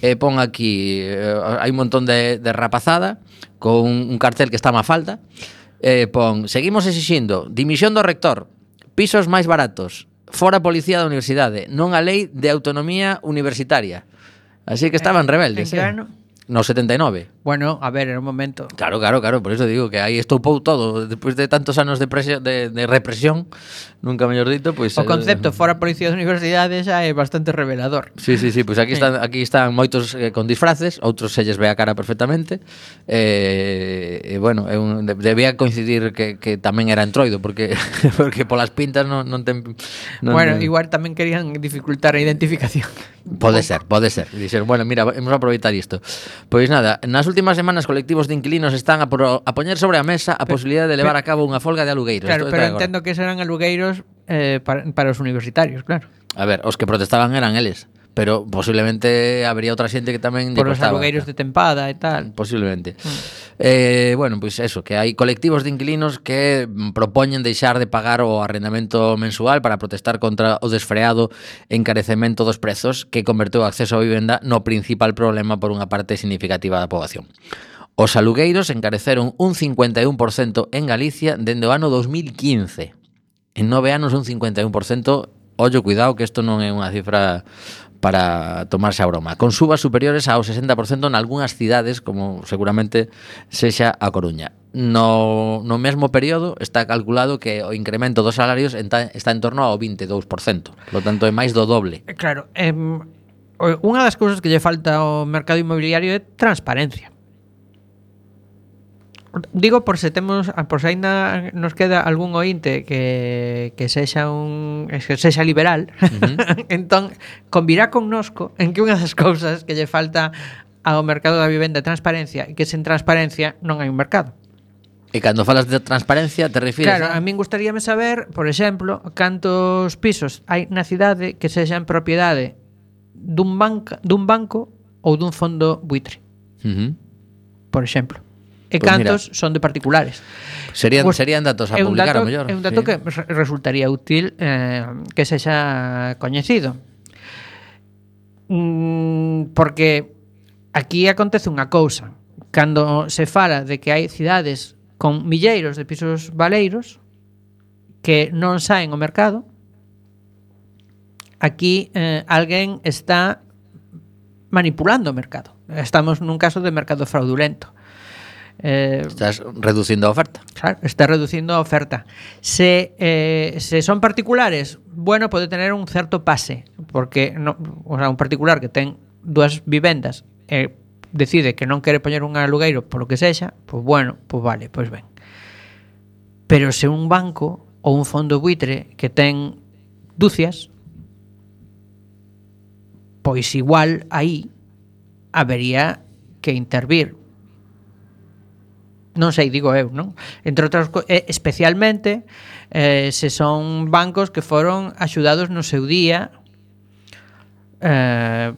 e pon aquí, eh, hai un montón de, de rapazada con un cartel que está má falta, e pon, seguimos exixindo dimisión do rector, pisos máis baratos, fora policía da universidade, non a lei de autonomía universitaria. Así que estaban rebeldes. En que eh? ano? No setenta e nove. Bueno, a ver, era un momento. Claro, claro, claro, por eso digo que aí estoupou todo. Despois de tantos anos de, presión, de, de represión, nunca mellor dito, pois... O concepto fora policía de universidade xa é bastante revelador. Sí, sí, sí, pois aquí están, aquí están moitos eh, con disfraces, outros selles ve a cara perfectamente. E, eh, eh, bueno, é un, de, debía coincidir que, que tamén era entroido, porque porque polas pintas non, non ten... Non, Bueno, non, igual tamén querían dificultar a identificación. Pode ser, pode ser. Dixeron, bueno, mira, vamos a aproveitar isto. Pois nada, nas últimas semanas colectivos de inquilinos están a, pro, a poñer sobre a mesa a posibilidade de levar a cabo unha folga de alugueiros. Claro, Esto pero está agora. entendo que serán alugueiros eh, para, para os universitarios, claro. A ver, os que protestaban eran eles, pero posiblemente habría outra xente que tamén lle Por os costaba. alugueiros de tempada e tal. Posiblemente. Mm. Eh, bueno, pois pues eso, que hai colectivos de inquilinos que propoñen deixar de pagar o arrendamento mensual para protestar contra o desfreado encarecemento dos prezos que converteu o acceso á vivenda no principal problema por unha parte significativa da poboación. Os alugueiros encareceron un cincuenta e un por ciento en Galicia dende o ano dos mil quince. En nove anos un cincuenta e un por ciento. Ollo, cuidado, que isto non é unha cifra para tomarse a broma. Con subas superiores ao sesenta por ciento en algunhas cidades, como seguramente sexa a Coruña. No, no mesmo período está calculado que o incremento dos salarios está, está en torno ao vinte e dous por ciento. Por lo tanto, é máis do doble. Claro, eh, unha das cousas que lle falta ao mercado inmobiliario é transparencia. Digo por se temos, por se aínda nos queda algún ointe que, que sexa un que sexa liberal, uh-huh. Entón convirá connosco en que unha das cousas que lle falta ao mercado da vivenda é transparencia, e que sen transparencia non hai un mercado. E cando falas de transparencia te refires Claro, a, a min gustaríame saber, por exemplo, cantos pisos hai na cidade que sexan propiedade dun banco, dun banco ou dun fondo buitre. Uh-huh. Por exemplo. E Pues cantos mira, son de particulares. Serían, Pues serían datos a é un publicar, dato, a mellor. É un dato sí. que re- resultaría útil eh, que sexa coñecido. Mm, porque aquí acontece unha cousa. Cando se fala de que hai cidades con milleiros de pisos baleiros que non saen ao mercado, aquí eh, alguén está manipulando o mercado. Estamos nun caso de mercado fraudulento. Eh, Estás reducindo a oferta. Claro, está reducindo a oferta. Se, eh, se son particulares, bueno, pode tener un certo pase, porque no, o sea, un particular que ten dúas vivendas e eh, decide que non quere poñer un alugueiro polo que sexa, pois bueno, pois vale, pois ben. Pero se un banco ou un fondo buitre que ten dúcias, pois igual aí habería que intervir. Non sei, digo eu, non? Entre outras cousas, especialmente eh, se son bancos que foron axudados no seu día eh,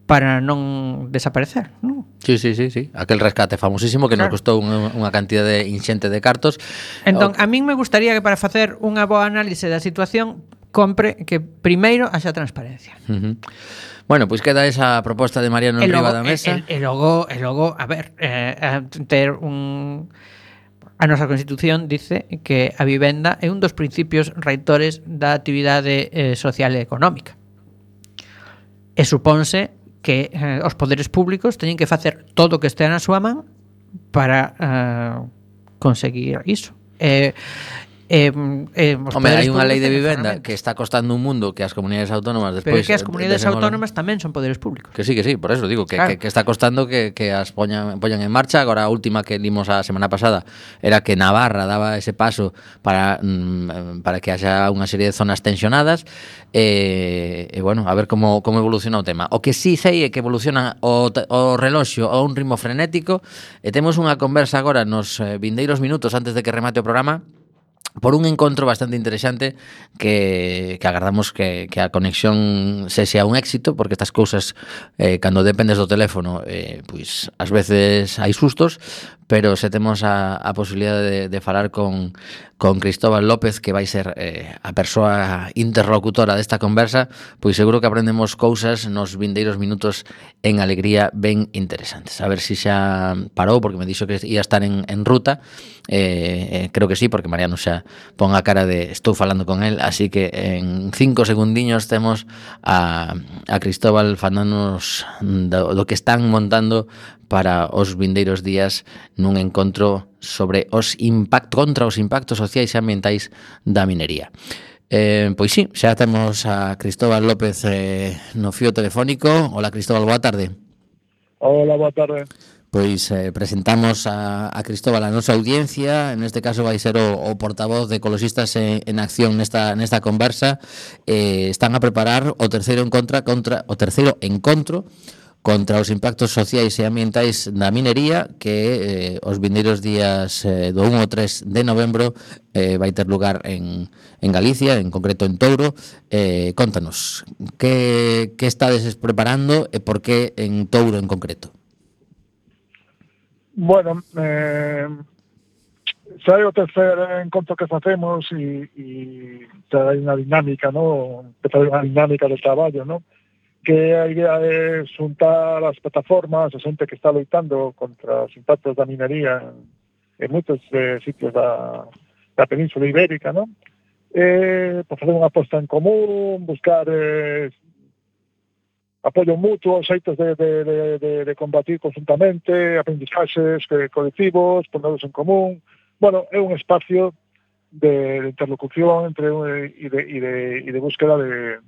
para non desaparecer, non? Sí, sí, sí, sí. Aquel rescate famosísimo que Claro. nos costou unha, unha cantidad de inxente de cartos. Entón, a min me gustaría que para facer unha boa análise da situación compre que primeiro haxa transparencia. Uh-huh. Bueno, pois pues queda esa proposta de Mariano E Riba logo, da mesa. e, e, e logo, e logo, a ver, eh, eh, ter un... A nosa Constitución dice que a vivenda é un dos principios reitores da actividade eh, social e económica. E supónse que eh, os poderes públicos teñen que facer todo o que estea na súa man para eh, conseguir iso. E, Eh, eh, os Home, poderes hai unha lei de públicos vivenda teñen que está costando un mundo que as comunidades autónomas Pero despois é que as comunidades desenvolvan. autónomas tamén son poderes públicos. Que sí, que sí, por eso digo que, Claro. que, que está costando que, que as poñan, poñan en marcha. Agora a última que limos a semana pasada era que Navarra daba ese paso para, mm, para que haya unha serie de zonas tensionadas e, e bueno, a ver como, como evoluciona o tema. O que sí sei é que evoluciona o, o reloxo a un ritmo frenético e temos unha conversa agora nos eh, vindeiros minutos antes de que remate o programa por un encontro bastante interesante que, que agardamos que, que a conexión se sea un éxito, porque estas cousas eh, cando dependes do teléfono eh, pois ás veces hai sustos, pero se temos a, a posibilidade de, de falar con, con Cristóbal López, que vai ser eh, a persoa interlocutora desta conversa, pois seguro que aprendemos cousas nos vindeiros minutos en alegría ben interesantes. A ver se si xa parou, porque me dixo que ia estar en, en ruta. Eh, eh, creo que sí, porque Mariano xa pon a cara de estou falando con él, así que en cinco segundiños temos a, a Cristóbal falándonos do, do que están montando para os vindeiros días nun encontro sobre os impactos contra os impactos sociais e ambientais da minería. Eh, pois sí, xa temos a Cristóbal López eh, no fío telefónico. Hola Cristóbal, boa tarde. Hola, boa tarde. Pois eh, presentamos a, a Cristóbal a nosa audiencia. En este caso vai ser o, o portavoz de Ecoloxistas en, en Acción nesta nesta conversa. Eh, están a preparar o terceiro encontro contra o terceiro encontro contra os impactos sociais e ambientais da minería que eh, os vindeiros días eh, do un ao tres de novembro eh, vai ter lugar en, en Galicia, en concreto en Touro. Eh, contanos, que, que estades preparando e por que en Touro en concreto? Bueno, eh, xa é o tercer encontro que facemos e, e xa hai unha dinámica, ¿no? Empezar unha dinámica de traballo, ¿no? Que a idea é xuntar as plataformas, a xente que está loitando contra os impactos da minería en, en moitos eh, sitios da, da Península Ibérica, ¿no? Eh, por facer unha aposta en común, buscar eh, apoio mutuo, xeitos de, de, de, de, de combatir conjuntamente, aprendizaxes colectivos, ponerlos en común. Bueno, é un espacio de, de interlocución entre e de, e de, e de búsqueda de,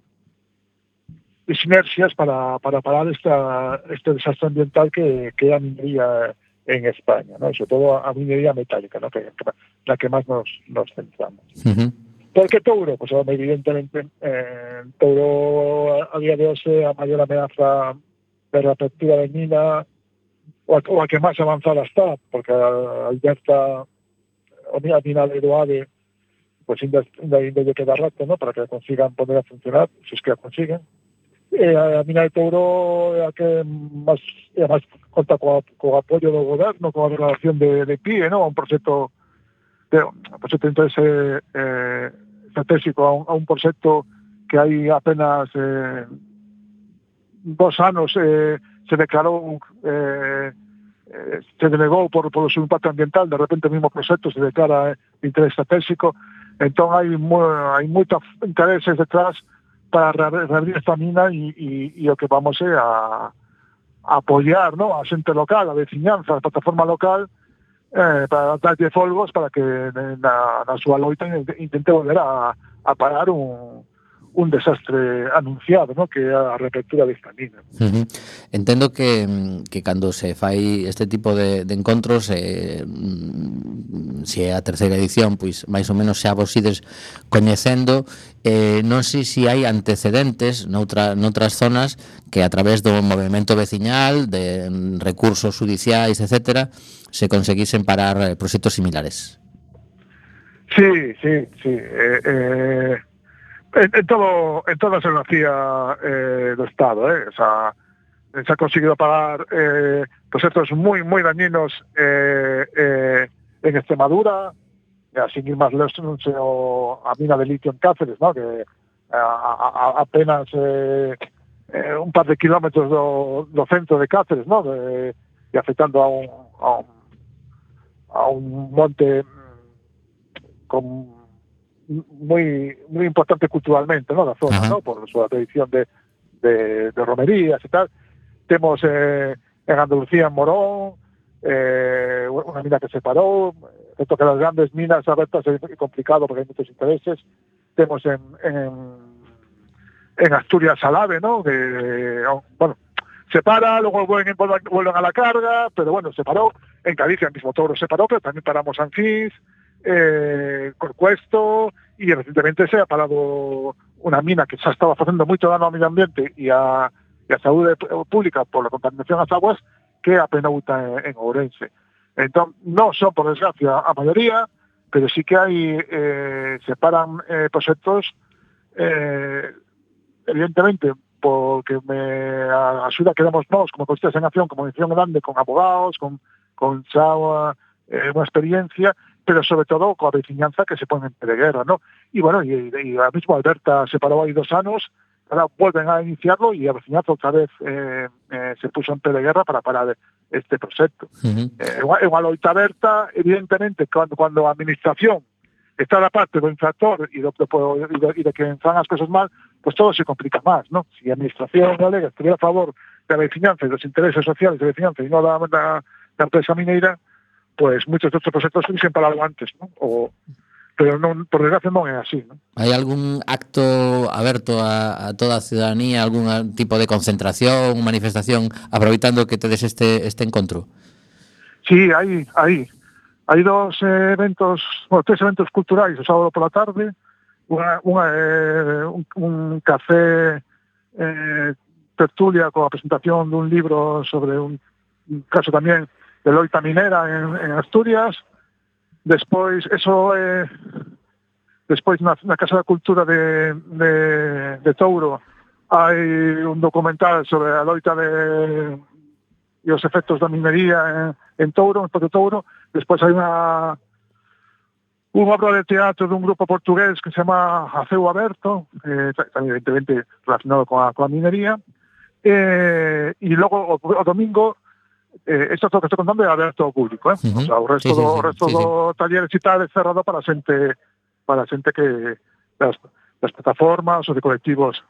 de sinerxias para, para parar esta, este desastre ambiental que, que é a minería en España, ¿no? Sobre todo a minería metálica, ¿no? Que, que, la que máis nos, nos centramos. Uh-huh. ¿Por qué Touro? Pues evidentemente eh, Touro a, a día de hoxe a maior ameaza de reapertura de mina o a, o a que máis avanzada está, porque a Alberta o a mina de Eroade pues ainda, ainda, ainda lle queda rato, ¿no? Para que consigan poner a funcionar, se es que a consiguen. E a, a mina de Touro é a que máis, é a máis conta co, co apoio do goberno, coa relación de, de P I E, ¿no? Un proxecto de, un proxecto de interese eh, estratégico a un, a un proxecto que hai apenas eh, dos anos eh, se declarou eh, eh, se denegou por, por o seu impacto ambiental. De repente o mismo proxecto se declara eh, de interés estratégico. Entón hai, mo, hai moitos intereses detrás para reabrir esta mina e, e, e o que vamos é a, a apoiar, ¿no? A xente local, a veciñanza, a plataforma local, Eh, para darlle folgos para que na, na súa loita intente volver a, a parar un, un desastre anunciado, ¿no? Que é a reapertura desta mina. Uh-huh. Entendo que, que cando se fai este tipo de, de encontros, eh, se é a terceira edición, pois máis ou menos xa vos ides coñecendo. Eh, non sei se hai antecedentes noutra, noutras zonas que a través do movimento veciñal, de recursos judiciais, etcétera, se conseguisen parar eh, proxectos similares. Sí, sí, sí. Eh, eh, en, en todo en toda a xeografía eh, do Estado, eh, o sea, se ha conseguido parar eh, proxectos moi moi dañinos eh, eh, en Extremadura, e así que máis lejos a mina de litio en Cáceres, ¿no? Que a, a, apenas eh, eh, un par de kilómetros do, do centro de Cáceres, ¿no? De, e afectando a un, a un a un monte con muy muy importante culturalmente, ¿no? La zona, uh-huh. ¿no? Por su tradición de, de, de romerías y tal. Tenemos eh, en Andalucía, en Morón, eh, una mina que se paró, excepto que las grandes minas abiertas es complicado porque hay muchos intereses. Tenemos en, en, en Asturias Salave, ¿no? Que, bueno, se para, luego vuelven, vuelven a la carga, pero bueno, se paró. En Galicia el mismo Touro se paró, pero también paramos Anfís, eh, Corcuesto, y recientemente se ha parado una mina que se estaba haciendo mucho daño al medio ambiente y a, y a salud pública por la contaminación a las aguas, que a Penouta en, en Ourense. Entonces, no son, por desgracia, a mayoría, pero sí que hay, eh, se paran eh, proyectos, eh, evidentemente, porque me ayuda que damos nos, como Constitución en Acción, como Edición Grande, con abogados, con, con xa, eh, una experiencia, pero sobre todo con la veciñanza que se pone en preguerra, ¿no? Y bueno, y, y ahora mismo Alberta se paró ahí dos años, ahora vuelven a iniciarlo y a veciñanza otra vez eh, eh, se puso en preguerra para parar este proyecto. Uh-huh. Eh, en una loita aberta, evidentemente, cuando, cuando la administración está la parte del infractor y de, de, de, de, de que fan las cosas mal, pues todo se complica más, ¿no? Si la administración galega estuviera a favor de la veciñanza y los intereses sociales de la veciñanza y no la, la, la empresa mineira, pues muchos de estos proyectos se hubiesen parado antes, ¿no? O, pero non, por desgracia non é así, ¿no? Hai algún acto aberto a, a toda a ciudadanía, algún tipo de concentración, manifestación, aproveitando que tedes este, este encontro? Sí, hai, hai. Hai dos eventos, bueno, tres eventos culturais o sábado por la tarde, unha, unha, eh, un, un café eh, tertulia coa presentación dun libro sobre un, un caso tamén de loita minera en, en Asturias. Despois, eso é... Eh, despois, na, na Casa da Cultura de, de, de Touro, hai un documental sobre a loita de, e os efectos da minería en, en Touro, en Porto Touro. Despois hai unha unha obra de teatro dun grupo portugués que se chama Aceu Aberto, eh, evidentemente relacionado con a, con a minería. Eh, e logo, o, o domingo, Eh, esto es lo que estoy contando é aberto ao público, eh? Uh-huh. O sea, o resto sí, sí, do, sí, resto sí, do sí. taller e tal é cerrado para a xente, para a xente que das, das plataformas ou de colectivos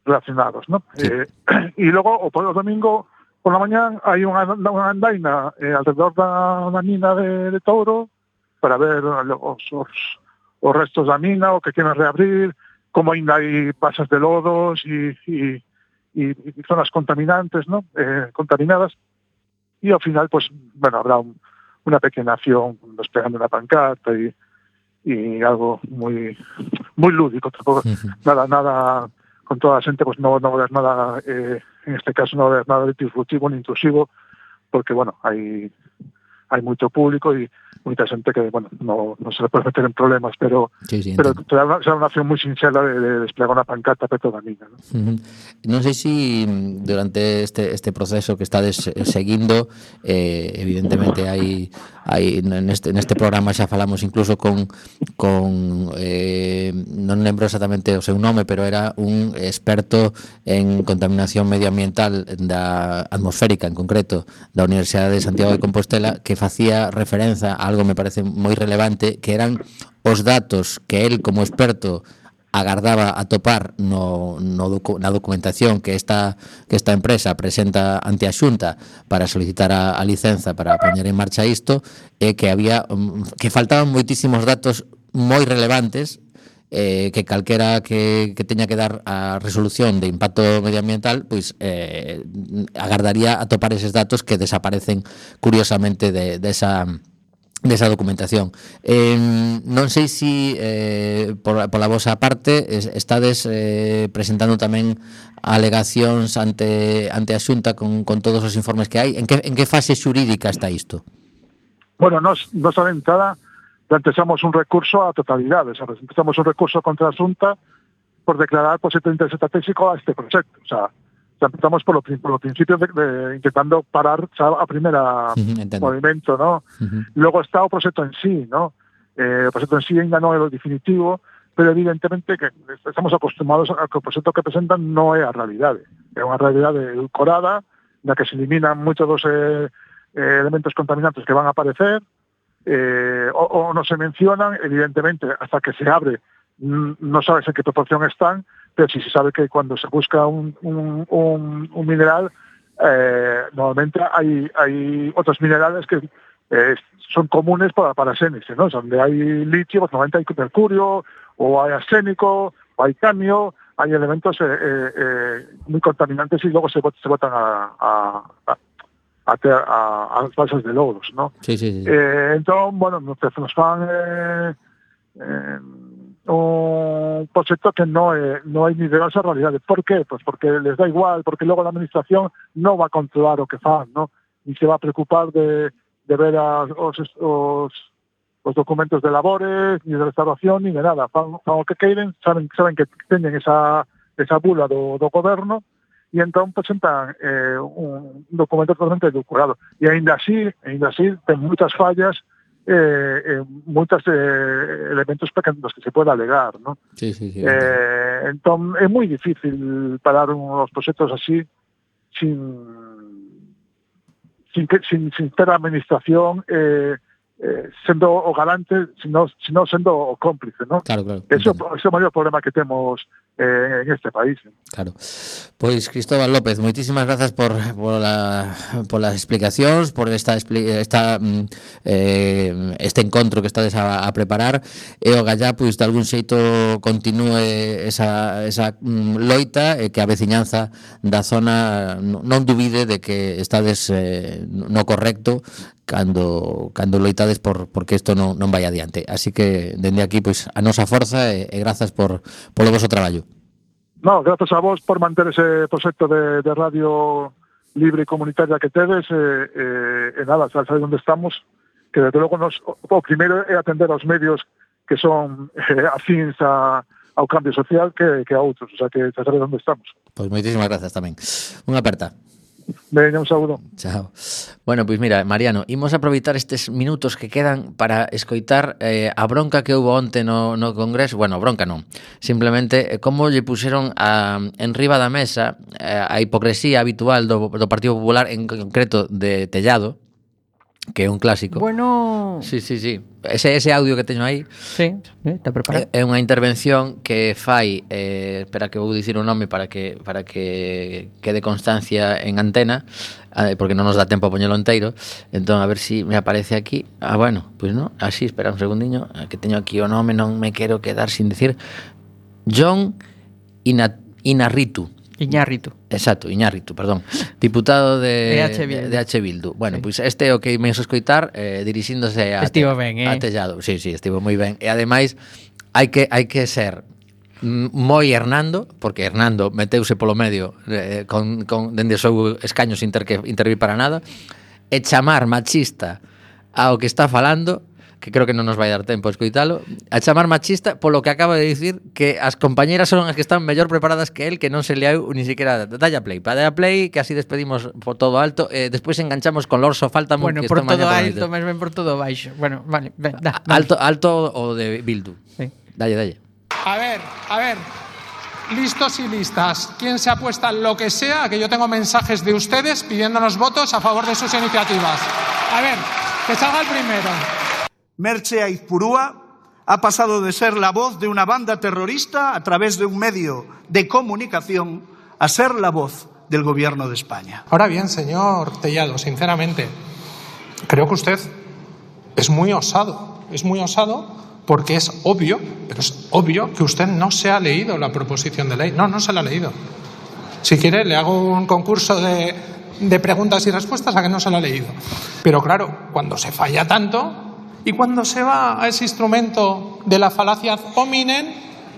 relacionados, ¿no? Sí. Eh, e logo, o, o domingo, por la mañá, hai unha, unha andaina eh, alrededor da, da mina de, de Touro para ver os, os, os restos da mina, o que queren reabrir, como ainda hai pasas de lodos e, e, e, e zonas contaminantes, ¿no? Eh, contaminadas. Y al final, pues, bueno, habrá un, una pequeña acción desplegando una pancarta y, y algo muy muy lúdico, tampoco, uh-huh. nada, nada, con toda la gente, pues no, no va a haber nada, eh, en este caso no va a haber nada disruptivo ni intrusivo, porque, bueno, hay, hay mucho público y mucha gente que, bueno, no, no se le puede meter en problemas, pero sí, sí, pero será una acción muy sincera de, de desplegar una pancarta para toda a mina, ¿no? Uh-huh. Non sei se durante este este proceso que estades seguindo, eh, evidentemente hai hai neste neste programa xa falamos incluso con con eh, non lembro exactamente o seu nome, pero era un experto en contaminación medioambiental da atmosférica, en concreto da Universidade de Santiago de Compostela, que facía referencia a algo me parece moi relevante, que eran os datos que el como experto agardaba a topar no, no docu, na documentación que esta que esta empresa presenta ante a Xunta para solicitar a, a licenza para poñer en marcha isto, e que había que faltaban moitísimos datos moi relevantes, eh, que calquera que, que teña que dar a resolución de impacto medioambiental, pois eh, agardaría a topar eses datos que desaparecen curiosamente de, de esa desa documentación. Eh, non sei se eh, por, pola vosa parte estades eh, presentando tamén alegacións ante ante a Xunta con, con todos os informes que hai. En que, en que fase xurídica está isto? Bueno, nos, nos a entrada plantexamos un recurso a totalidade, o sea, plantexamos un recurso contra a Xunta por declarar posible interés estratégico a este proxecto, o sea, empezamos por, lo, por los principios de, de intentando parar ¿sabes? a primera uh-huh, movimiento, ¿no? Uh-huh. Luego está el proyecto en sí, ¿no? Eh, el proyecto en sí ainda no es lo definitivo, pero evidentemente que estamos acostumbrados a que el proyecto que presentan no es a realidad. Es una realidad edulcorada, en la que se eliminan muchos de los eh, eh, elementos contaminantes que van a aparecer, eh, o, o no se mencionan, evidentemente, hasta que se abre, no sabes en qué proporción están, pero sí se sabe que cuando se busca un, un, un, un mineral, eh, normalmente hay, hay otros minerales que, eh, son comunes para, para Xénese, ¿no? Donde hay litio, pues normalmente hay mercurio, o hay arsénico, o hay cadmio, hay elementos eh, eh, muy contaminantes y luego se, se botan a, a, a, a, a, a las balsas de lodos, ¿no? Sí, sí, sí. Eh, entón, bueno, nos, nos fan eh, eh, un proxecto que no é, non hai ni de esa realidade. Por qué? Pues porque les da igual, porque logo a administración non va a controlar o que fan, ¿no? Ni se va a preocupar de, de ver a, os, os, os documentos de labores, ni de restauración, ni de nada. Fan, fan o que queiren, saben, saben que teñen esa, esa bula do, do goberno, e entón presentan eh, un documento totalmente edulcorado. E ainda así, ainda así, ten moitas fallas, eh, eh, moitos eh, elementos pequenos que se puede alegar, ¿no? Sí, sí, sí. Eh, entón, é moi difícil parar uns proxectos así sin sin, que, sin, sin ter a administración eh, eh, sendo o garante, sino, sino sendo o cómplice, ¿no? Claro, claro. Eso é o maior problema que temos eh, en este país. Claro. Pois Cristóbal López, moitísimas grazas por por la por las explicacións, por esta esta eh, este encontro que estades a, a preparar e o gallá pois de algún xeito continúe esa esa loita e que a veciñanza da zona non dubide de que estades eh, no correcto cando cando loitades por porque isto non non vai adiante. Así que dende aquí pois a nosa forza e, e grazas por polo voso traballo. No, grazas a vos por manter ese proxecto de, de radio libre e comunitaria que tedes e eh, eh, eh, nada, sabes onde estamos, que desde logo nos, o, o primeiro é atender aos medios que son eh, afíns a, ao cambio social que, que a outros, o sea que sabes onde estamos. Pois moitísimas grazas tamén. Unha aperta. Veña, un saúdo. Chao. Bueno, pois mira, Mariano, imos aproveitar estes minutos que quedan para escoitar eh, a bronca que houve onte no, no Congreso. Bueno, bronca non. Simplemente eh, como lle puxeron a, en riba da mesa eh, a hipocresía habitual do, do Partido Popular, en concreto de Tellado, que é un clásico. Bueno... Sí, sí, sí. Ese, ese audio que teño aí Sí, está preparado. é, é unha intervención que fai eh, espera que vou dicir o nome para que para que quede constancia en antena, eh, porque non nos dá tempo a poñelo enteiro. Entón a ver si me aparece aquí. Ah, bueno, pois pues non, así, espera un segundiño, que teño aquí o nome, non me quero quedar sin decir. John Ina, Inarritu. Iñárritu. Exacto, Iñárritu, perdón. Diputado de, de H. Bildu. De H. Bildu. Bueno, Sí. pois pues este é o que me escoitar eh, dirixíndose a, Estivo ben, eh? a Tellado. Sí, sí, estivo moi ben. E ademais hai que hai que ser moi Hernando, porque Hernando meteuse polo medio eh, con, con dende o seu escaño sin ter que intervir para nada, e chamar machista ao que está falando, que creo que non nos vai dar tempo a escoitalo, a chamar machista polo que acaba de dicir que as compañeras son as que están mellor preparadas que el, que non se leau ni siquiera dalle a play. Para dalle a play, que así despedimos por todo alto, e eh, despois enganchamos con Lorso Faltamo, Bueno, que por isto todo mañá alto, máis ben por todo baixo. Bueno, vale, ven, da, vamos. Alto, alto o de Bildu. Sí. Dalle, dalle. A ver, a ver, listos y listas. ¿Quién se apuesta lo que sea? Que yo tengo mensajes de ustedes pidiéndonos votos a favor de sus iniciativas. A ver, que salga el primero. Merche Aizpurúa ha pasado de ser la voz de una banda terrorista a través de un medio de comunicación a ser la voz del gobierno de España. Ahora bien, señor Tellado, sinceramente, creo que usted es muy osado. Es muy osado porque es obvio, pero es obvio que usted no se ha leído la proposición de ley. No, no se la ha leído. Si quiere, le hago un concurso de, de preguntas y respuestas a que no se la ha leído. Pero claro, cuando se falla tanto y cuando se va a ese instrumento de la falacia ad hominem,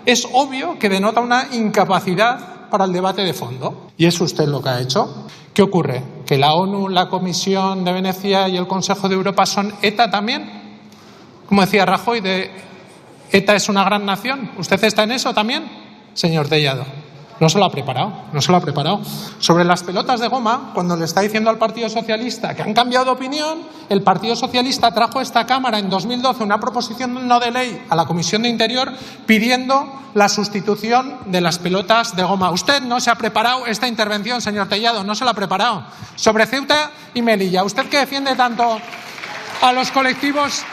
es obvio que denota una incapacidad para el debate de fondo. Y es usted lo que ha hecho. ¿Qué ocurre? ¿Que la ONU, la Comisión de Venecia y el Consejo de Europa son ETA también? Como decía Rajoy, de ETA es una gran nación. ¿Usted está en eso también, señor Tellado? No se lo ha preparado, no se lo ha preparado. Sobre las pelotas de goma, cuando le está diciendo al Partido Socialista que han cambiado de opinión, el Partido Socialista trajo a esta Cámara en dos mil doce una proposición no de ley a la Comisión de Interior pidiendo la sustitución de las pelotas de goma. Usted no se ha preparado esta intervención, señor Tellado, no se la ha preparado. Sobre Ceuta y Melilla, usted que defiende tanto a los colectivos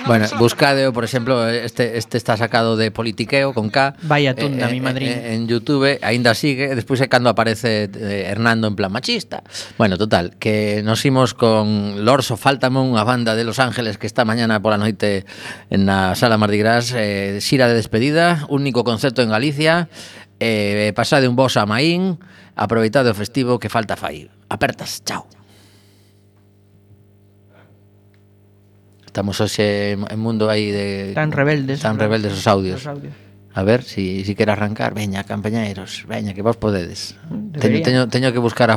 Bueno, buscadeo, por exemplo, este este está sacado de Politiqueo con K. Vaya tunda, eh, mi madriña. eh, En YouTube, aínda sigue, despois é cando aparece eh, Hernando en plan machista. Bueno, total, que nos imos con Lorso Faltame, unha banda de Los Ángeles que está mañana pola noite na Sala Mardi Gras, eh, xira de despedida, único concerto en Galicia, eh, pasade un vos a Maín, aproveitade o festivo que falta fai. Apertas, chao. Estamos hoxe en mundo aí de... Tan rebeldes. Tan rebeldes os audios. Os audios. A ver, si, si quere arrancar, veña, campañeiros, veña, que vos podedes. Teño, Debería. teño, teño que buscar a forma